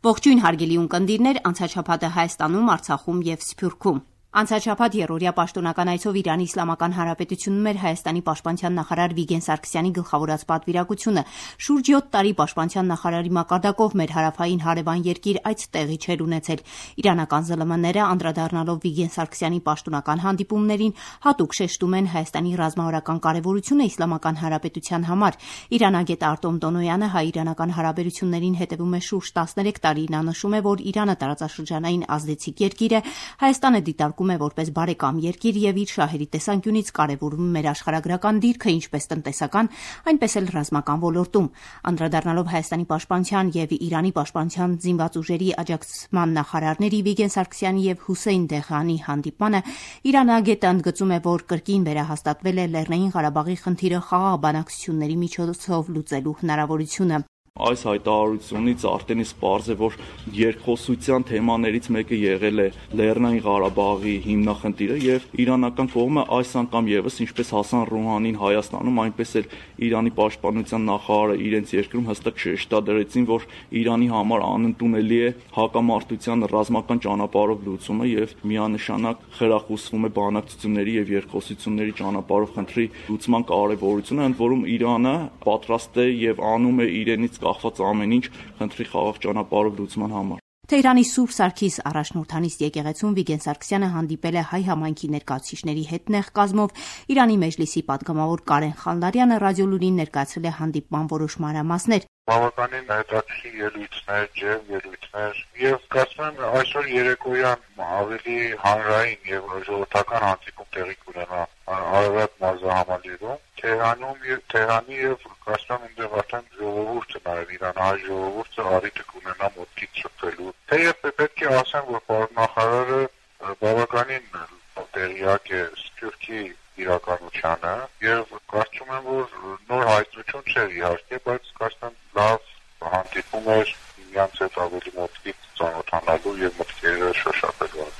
Ողջույն հարգելի ունկնդիրներ, անցաչափաթը Հայաստանում, Արցախում եւ Սփյուռքում։ Անցաչափաթ երրորդյա պաշտոնական այցով Իրանի Իսլամական Հանրապետությունում էր Հայաստանի պաշտպանության նախարար Վիգեն Սարգսյանի գլխավորած պատվիրակությունը։ Շուրջ 7 տարի պաշտպանության նախարարի մակարդակով մեր հարավային հարևան երկիր այց տեղի չէր ունեցել։ Իրանական ԶԼՄ-ները անդրադառնալով Վիգեն Սարգսյանի պաշտոնական հանդիպումներին հատուկ շեշտում են Հայաստանի ռազմավարական կարևորությունը Իսլամական Հանրապետության համար։ Իրանագետ Արտոմ Տոնոյանը հայ-իրանական հարաբերություններին հետևում է շուրջ 13 տարի։ Նա նշում է, որ Իրանը տարածաշրջանային ազդեցիկ երկիր է, Հայաստանը դիտարկում է որպես բարեկամ երկիր եւ իր շահերի տեսանկյունից կարեւորում մեր աշխարհագրական դիրքը ինչպես տնտեսական, այնպես էլ ռազմական ոլորտում։ Անդրադառնալով Հայաստանի պաշտպանության եւ Իրանի պաշտպանության զինված ուժերի աջակցման նախարարների Վիգեն Սարգսյանի եւ Հուսեյն Դեղանի հանդիպմանը իրանագետը ընդգծում է, որ կրկին վերահաստատվել է Լեռնային Ղարաբաղի խնդիրը խաղաղ բանակցությունների միջոցով լուծելու հնարավորությունը։ Այս հայտարարությունից արդեն իսկ պարզ է, որ երկխոսության թեմաներից մեկը եղել է Լեռնային Ղարաբաղի հիմնախնդիրը եւ իրանական կողմը այս անգամ եւս ինչպես Հասան Ռուհանին Հայաստանում, այնպես էլ Իրանի պաշտպանության նախարարը իրենց երկրում հստակ շեշտադրեցին, որ Իրանի համար անընդունելի է հակամարտության ռազմական ճանապարհով լուծումը եւ միանշանակ խրախուսվում է բանակցությունների եւ երկխոսությունների ճանապարհով խնդրի լուծման կարեւորությունը, ընդ որում Իրանը պատրաստ է եւ անում է իրենից կախված ամեն ինչ խնդրի խաղաղ ճանապարհով լուծման համար։ Թեհրանի Սուրբ Սարգիս առաջնորդանիստ եկեղեցում Վիգեն Սարգսյանը հանդիպել է հայ համայնքի ներկայացուցիչների հետ նեղ կազմով։ Իրանի Մեջլիսի պատգամավոր Կարեն Խանլարյանը ռադիոլուրին ներկայացրել է հանդիպման որոշ մանրամասներ։ Բավականին հետաքրքիր ելույթներ, ջերմ ելույթներ եւ կարծում եմ այսօր երեկոյան ավելի հանրային եւ ժողովրդական հանդիպում տեղի կունենա Արարատ մարզահամալիրում Թեհրանի եւ կարծում եմ այնտեղ արդեն ժողովուրդը նաեւ իրանահայ ժողովուրդը առիթը կունենա մոտքից շփվելու։ Թեև պետք է ասեմ, որ պարոն նախարարը բավականին տեղյակ է Սփյուռքի իրականությանը եւ կարծում եմ, որ նոր հայտնություն չէր իհարկե, բայց կարծում եմ լավ հանդիպում էր միմյանց հետ ավելի մոտքից ծանոթանալու եւ մտքերը շոշափելու։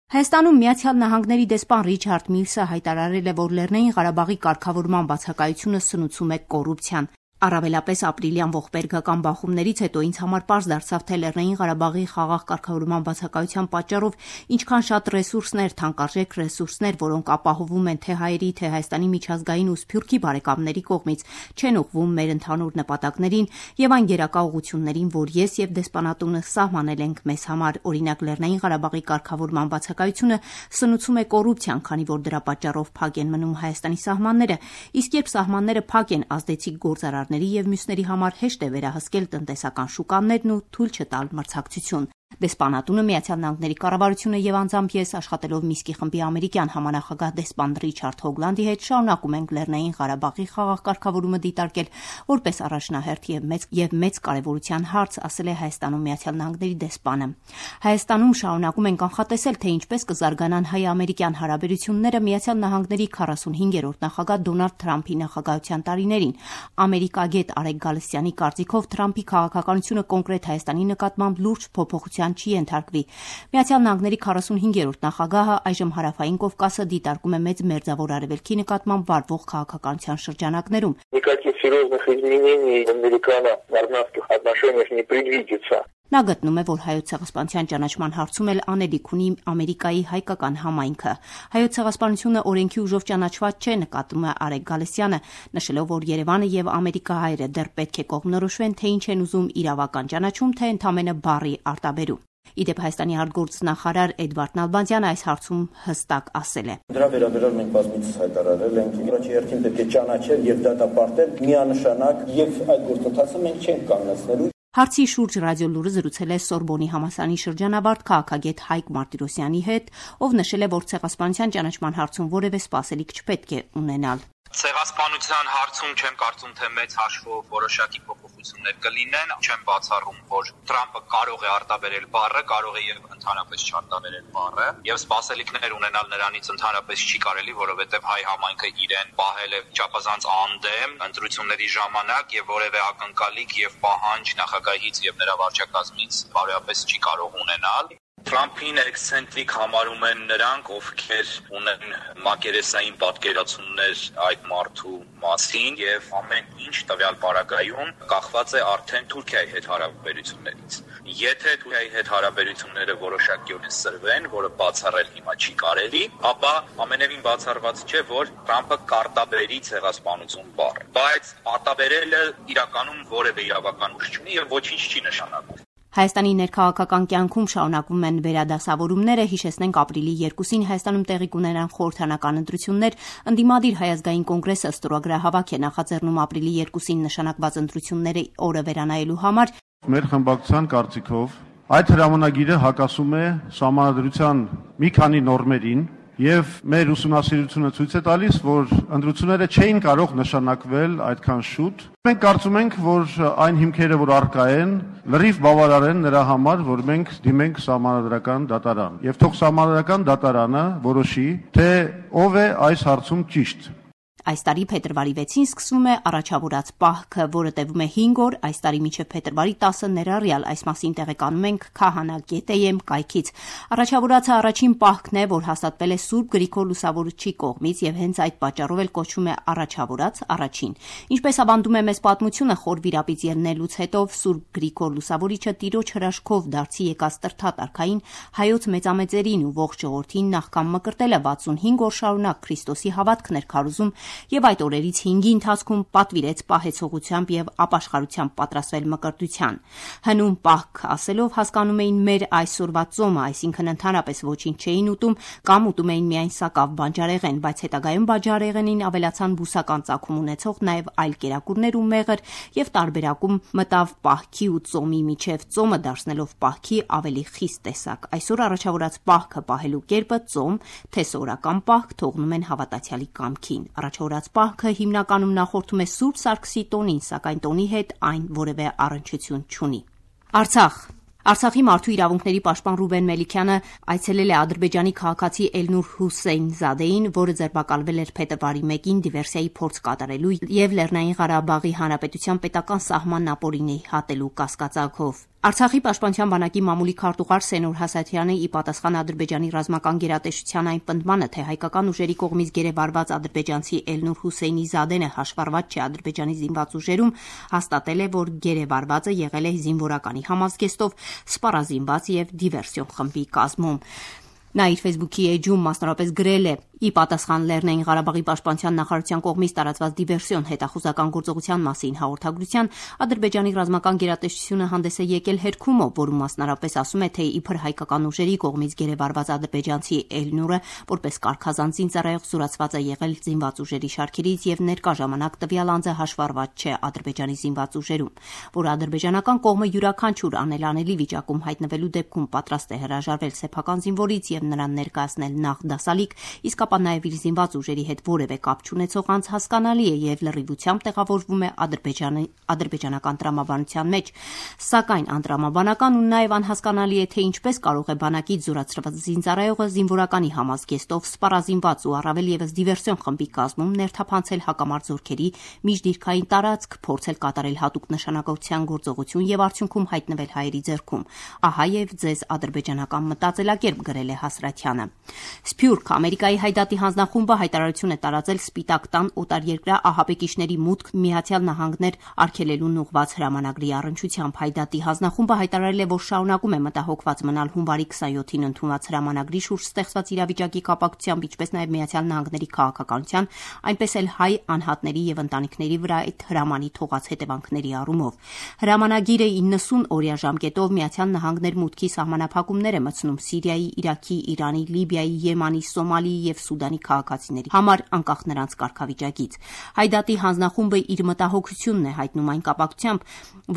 Հայաստանում Միացյալ Նահանգների դեսպան Ռիչարդ Միլսը հայտարարել է, որ Լեռնային Ղարաբաղի կարգավորման բացակայությունը սնուցում է կոռուպցիան։ Առավելապես ապրիլյան ողբերգական բախումներից հետո ինձ համար պարզ դարձավ, թե Լեռնային Ղարաբաղի խաղաղ կարգավորման բացակայության պատճառով ինչքան շատ ռեսուրսներ, թանկարժեք ռեսուրսներ, որոնք ապահովում են թե հայերի, թե Հայաստանի միջազգային ու Սփյուռքի բարեկամների կողմից, չեն ուղղվում մեր ընդհանուր նպատակներին եւ այն գերակա ուղղություններին, որ ես եւ դեսպանատունը սահմանել ենք մեզ համար։ Օրինակ Լեռնային Ղարաբաղի կարգավորման բացակայությունը սնուցում է կոռուպցիան, քանի որ դրա պատճառով փակ են մնում Հայաստանի սահմանները, իսկ երբ սահմանները փակ են, ազդեցիկ գործարար եւ մյուսների համար հեշտ է վերահսկել տնտեսական շուկաներն ու թույլ չտալ մրցակցություն։ Դեսպանատունը Միացյալ Նահանգների կառավարությունը եւ անձամբ ես աշխատելով Միսկի խմբի ամերիկյան համանախագահ դեսպան Ռիչարդ Հոգլանդի հետ շարունակում ենք Լեռնային Ղարաբաղի խաղաղ կարգավորումը դիտարկել որպես առաջնահերթ եւ մեծ կարեւորության հարց, ասել է Հայաստանում Միացյալ Նահանգների դեսպանը։ Հայաստանում շարունակում ենք կանխատեսել, թե ինչպես կզարգանան հայ-ամերիկյան հարաբերությունները Միացյալ Նահանգների 45-րդ նախագահ Դոնալդ Թրամփի նախագահության տարիներին։ Ամերիկագետ Արեգ Գալստյանի կարծիքով Թրամփի քաղաքականությունը կոնկրետ Հայաստանի նկատմամբ լուրջ փոփոխության չի ենթարկվի։ Միացյալ Նահանգների 45-րդ նախագահը այժմ Հարավային Կովկասը դիտարկում է մեծ մերձավոր արևելքի նկատմամբ վարվող քաղաքականության շրջանակներում։ Никаких серьезных изменений американо-армянских отношениях не предвидится. Նա գտնում է, որ Հայոց ցեղասպանության ճանաչման հարցում էլ անելիք ունի Ամերիկայի հայկական համայնքը։ Հայոց ցեղասպանությունը օրենքի ուժով ճանաչված չէ, նկատում է Արեգ Գալստյանը, նշելով, որ Երևանը եւ ամերիկահայերը դեռ պետք է կողմնորոշվեն, թե ինչ են ուզում իրավական ճանաչում, թե ընդամենը բառի արտաբերում։ Իդեպ Հայաստանի արտգործնախարար Էդվարդ Նալբանդյանը այս հարցում հստակ ասել է. Դրա վերաբերյալ մենք բազմիցս հայտարարել ենք, առաջի հերթին պետք է ճանաչել եւ դատապարտել միանշանակ եւ այդ գործընթացը մենք չենք կանգնեցնելու։ Հարցի շուրջ ռադիոլուրը զրուցել է Սորբոնի համալսարանի շրջանավարտ քաղաքագետ Հայկ Մարտիրոսյանի հետ, ով նշել է, որ ցեղասպանության ճանաչման հարցում որևէ սպասելիք չպետք է ունենալ։ Ցեղասպանության հարցում չեմ կարծում, թե մեծ հաշվով որոշակի փոփոխություններ կլինեն, չեմ բացառում, որ Թրամփը կարող է արտաբերել բառը, կարող է եւ ընդհանրապես չարտաբերել բառը, եւ սպասելիքներ ունենալ նրանից ընդհանրապես չի կարելի, որովհետեւ հայ համայնքը իրեն պահել է չափազանց անդեմ ընտրությունների ժամանակ եւ որևէ ակնկալիք եւ պահանջ նախագահից եւ նրա վարչակազմից բարոյապես չի կարող ունենալ։ Թրամփին էքսցենտրիկ համարում են նրանք, ովքեր ունեն մակերեսային պատկերացումներ այդ մարդու մասին եւ ամեն ինչ տվյալ պարագայում կախված է արդեն Թուրքիայի հետ հարաբերություններից։ Եթե Թուրքիայի հետ հարաբերությունները որոշակիորեն սրվեն, որը բացառել հիմա չի կարելի, ապա ամենևին բացառված չէ, որ Թրամփը կարտաբերի ցեղասպանություն բառը։ Բայց արտաբերելը իրականում որևէ իրավական ուժ չունի եւ ոչինչ չի նշանակում։ Հայաստանի ներքաղաքական կյանքում շարունակվում են վերադասավորումները, հիշեցնենք ապրիլի 2-ին Հայաստանում տեղի կունենան խորհրդանական ընտրություններ, ընդդիմադիր Հայ ազգային կոնգրեսը ստորագրահավաք է նախաձեռնում ապրիլի 2-ին նշանակված ընտրությունների օրը վերանայելու համար։ Մեր խմբակցության կարծիքով այդ հրամանագիրը հակասում է Սահմանադրության մի քանի նորմերին եւ մեր ուսումնասիրությունը ցույց է տալիս, որ ընտրությունները չէին կարող նշանակվել այդքան շուտ։ Մենք կարծում ենք, որ այն հիմքերը, որ առկա են, լրիվ բավարար են նրա համար, որ մենք դիմենք Սահմանադրական դատարան։ Եվ թող Սահմանադրական դատարանը որոշի, թե ով է այս հարցում ճիշտ։ Այս տարի փետրվարի 6-ին սկսվում է առաջավորած պահքը, որը տևում է 5 օր, այս տարի մինչև փետրվարի 10-ը ներառյալ, այս մասին տեղեկանում ենք Քահանա.am կայքից։ Առաջավորածը առաջին պահքն է, որ հաստատվել է Սուրբ Գրիգոր Լուսավորչի կողմից եւ հենց այդ պատճառով էլ կոչվում է առաջավորած առաջին։ Ինչպես ավանդում է մեզ պատմությունը, խոր վիրապից ելնելուց հետո Սուրբ Գրիգոր Լուսավորիչը տիրոջ հրաշքով դարձի եկած տրթատարքային հայոց մեծամեծերին ու ողջ ժողովրդին նախքան մկրտելը 65 օր շարունակ Քրիստոսի հավատքն էր քարոզում եւ այդ օրերից 5-ի ընթացքում պատվիրեց պահեցողությամբ եւ ապաշխարությամբ պատրաստվել մկրտության։ Հնում պահք ասելով հասկանում էին մեր այսօրվա ծոմը, այսինքն ընդհանրապես ոչինչ չէին ուտում կամ ուտում էին միայն սակավ բանջարեղեն, բայց հետագայում բանջարեղենին ավելացան բուսական ծագում ունեցող նաեւ այլ կերակուրներ ու մեղր եւ տարբերակում մտավ պահքի ու ծոմի միջև, ծոմը դարձնելով պահքի ավելի խիստ տեսակ։ Այսօր առաջավորած պահքը պահելու կերպը ծոմ, թե սորական պահք թողնում են հավատացյալի կամքին։ Առաջավորած պահքը հիմնականում նախորդում է Սուրբ Սարգսի տոնին, սակայն տոնի հետ այն որևէ առնչություն չունի։ Արցախի մարդու իրավունքների պաշտպան Ռուբեն Մելիքյանը այցելել է Ադրբեջանի քաղաքացի Էլնուր Հուսեյնզադեին, որը ձերբակալվել էր փետրվարի 1-ին դիվերսիայի փորձ կատարելու եւ Լեռնային Ղարաբաղի Հանրապետության պետական սահմանն ապօրինի հատելու կասկածակով։ Արցախի պաշտպանության բանակի մամուլի քարտուղար Սենուր Հասաթյանը ի պատասխան Ադրբեջանի ռազմական գերատեսչության այն պնդմանը, թե հայկական ուժերի կողմից գերեվարված ադրբեջանցի Էլնուր Հուսեյնզադեն հաշվառված չէ Ադրբեջանի զինված ուժերում, հաստատել է, որ գերեվարվածը եղել է զինվորականի համազգեստով, սպառազինված եւ դիվերսիոն խմբի կազմում։ Նա իր Facebook-ի էջում մասնավորապես գրել է. «Ի պատասխան Լեռնային Ղարաբաղի պաշտպանության նախարարության կողմից տարածված դիվերսիոն հետախուզական գործողության մասին հաղորդագրության Ադրբեջանի ռազմական գերատեսչությունը հանդես է եկել հերքումով, որում մասնարարպես ասում է, թե իբր հայկական ուժերի կողմից գերեվարված ադրբեջանցի Էլնուրը որպես կարգազան զինծառայող զորացված է եղել զինված ուժերի շարքերից եւ ներկա ժամանակ տվյալ անձը հաշվառված չէ Ադրբեջանի զինված ուժերում, որ ադրբեջանական կողմը յուրաքանչյուր անելանելի վիճակում հայտնվելու դեպքում պատրաստ է հրաժարվել սեփական զինվորից եւ նրան ներկայացնել նախ դասալիկ, իսկ ապա նաև իր զինված ուժերի հետ որևէ կապ չունեցող անձ հասկանալի է եւ լրիվությամբ տեղավորվում է ադրբեջանական տրամաբանության մեջ, սակայն անտրամաբանական ու նաև անհասկանալի է, թե ինչպես կարող է բանակից զորացրված զինծառայողը զինվորականի համազգեստով սպառազինված ու առավել եւս դիվերսիոն խմբի կազմում ներթափանցել հակամարտ զորքերի միջդիրքային տարածք, փորձել կատարել հատուկ նշանակության գործողություն եւ արդյունքում հայտնվել հայերի ձեռքում։ Ահա եւ ձեզ ադրբեջանական մտածելակերպ գրել է Հասրաթյանը։ Սփյուռք Ամերիկայի Հայդատի հանձնախումբը հայտարարություն է տարածել Սպիտակ տան օտարերկրյա ահաբեկիչների մուտք Միացյալ Նահանգներ արգելելուն ուղղված հրամանագրի առնչությամբ։ Հայդատի հանձնախումբը հայտարարել է, որ շարունակում է մտահոգված մնալ հունվարի 27-ին ընդունված հրամանագրի շուրջ ստեղծված իրավիճակի կապակցությամբ, ինչպես նաև Միացյալ Նահանգների քաղաքականության, այնպես էլ հայ անհատների եւ ընտանիքների վրա այդ հրամանի թողած հետևանքների առումով։ Հրամանագիրը 90 օրյա ժամկետով Միացյալ Նահանգներ մուտքի սահմանափակումներ է մտցնում Սիրիայի, Իրաքի, Իրանի, Լիբիայի, Եմանի, Սոմալիի եւ Սուդանի քաղաքացիների համար անկախ նրանց կարգավիճակից։ Հայդատի հանձնախումբը իր մտահոգությունն է հայտնում այն կապակցությամբ,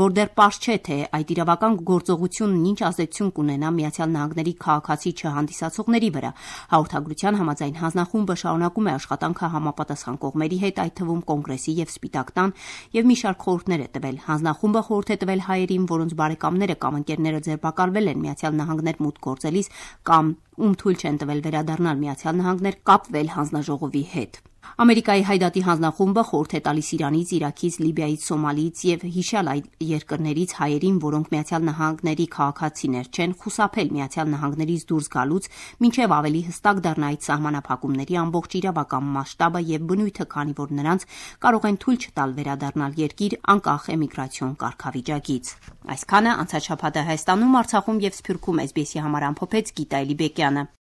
որ դեռ պարզ չէ, թե այդ իրավական գործողությունն ինչ ազդեցություն կունենա Միացյալ Նահանգների քաղաքացի չհանդիսացողների վրա։ Հաղորդագրության համաձայն հանձնախումբը շարունակում է աշխատանքը համապատասխան կողմերի հետ, այդ թվում Կոնգրեսի եւ Սպիտակ տան, եւ մի շարք խորհուրդներ է տվել։ Հանձնախումբը խորհուրդ է տվել հայերին, որոնց բարեկամները կամ ընկերները ձերբակալվել են Միացյալ Նահանգներ մուտք գործելիս կամ ում թույլ չեն տվել վերադառնալ Միացյալ Նահանգներ, կապվել հանձնաժողովի հետ։ Ամերիկայի հայդատի հանձնախումբը խորհուրդ է տալիս Իրանից, Իրաքից, Լիբիայից, Սոմալիից եւ հիշյալ այլ երկրներից հայերին, որոնք Միացյալ Նահանգների քաղաքացիներ չեն, խուսափել Միացյալ Նահանգներից դուրս գալուց, մինչեւ ավելի հստակ դառնա այդ սահմանափակումների ամբողջ իրավական մասշտաբը եւ բնույթը, քանի որ նրանց կարող են թույլ չտալ վերադառնալ երկիր անկախ էմիգրացիոն կարգավիճակից։ Այսքանը անցած շաբաթը Հայաստանում, Արցախում եւ Սփյուռքում SBS-ի համար ամփոփեց Գիտա Էլիբեկյանը։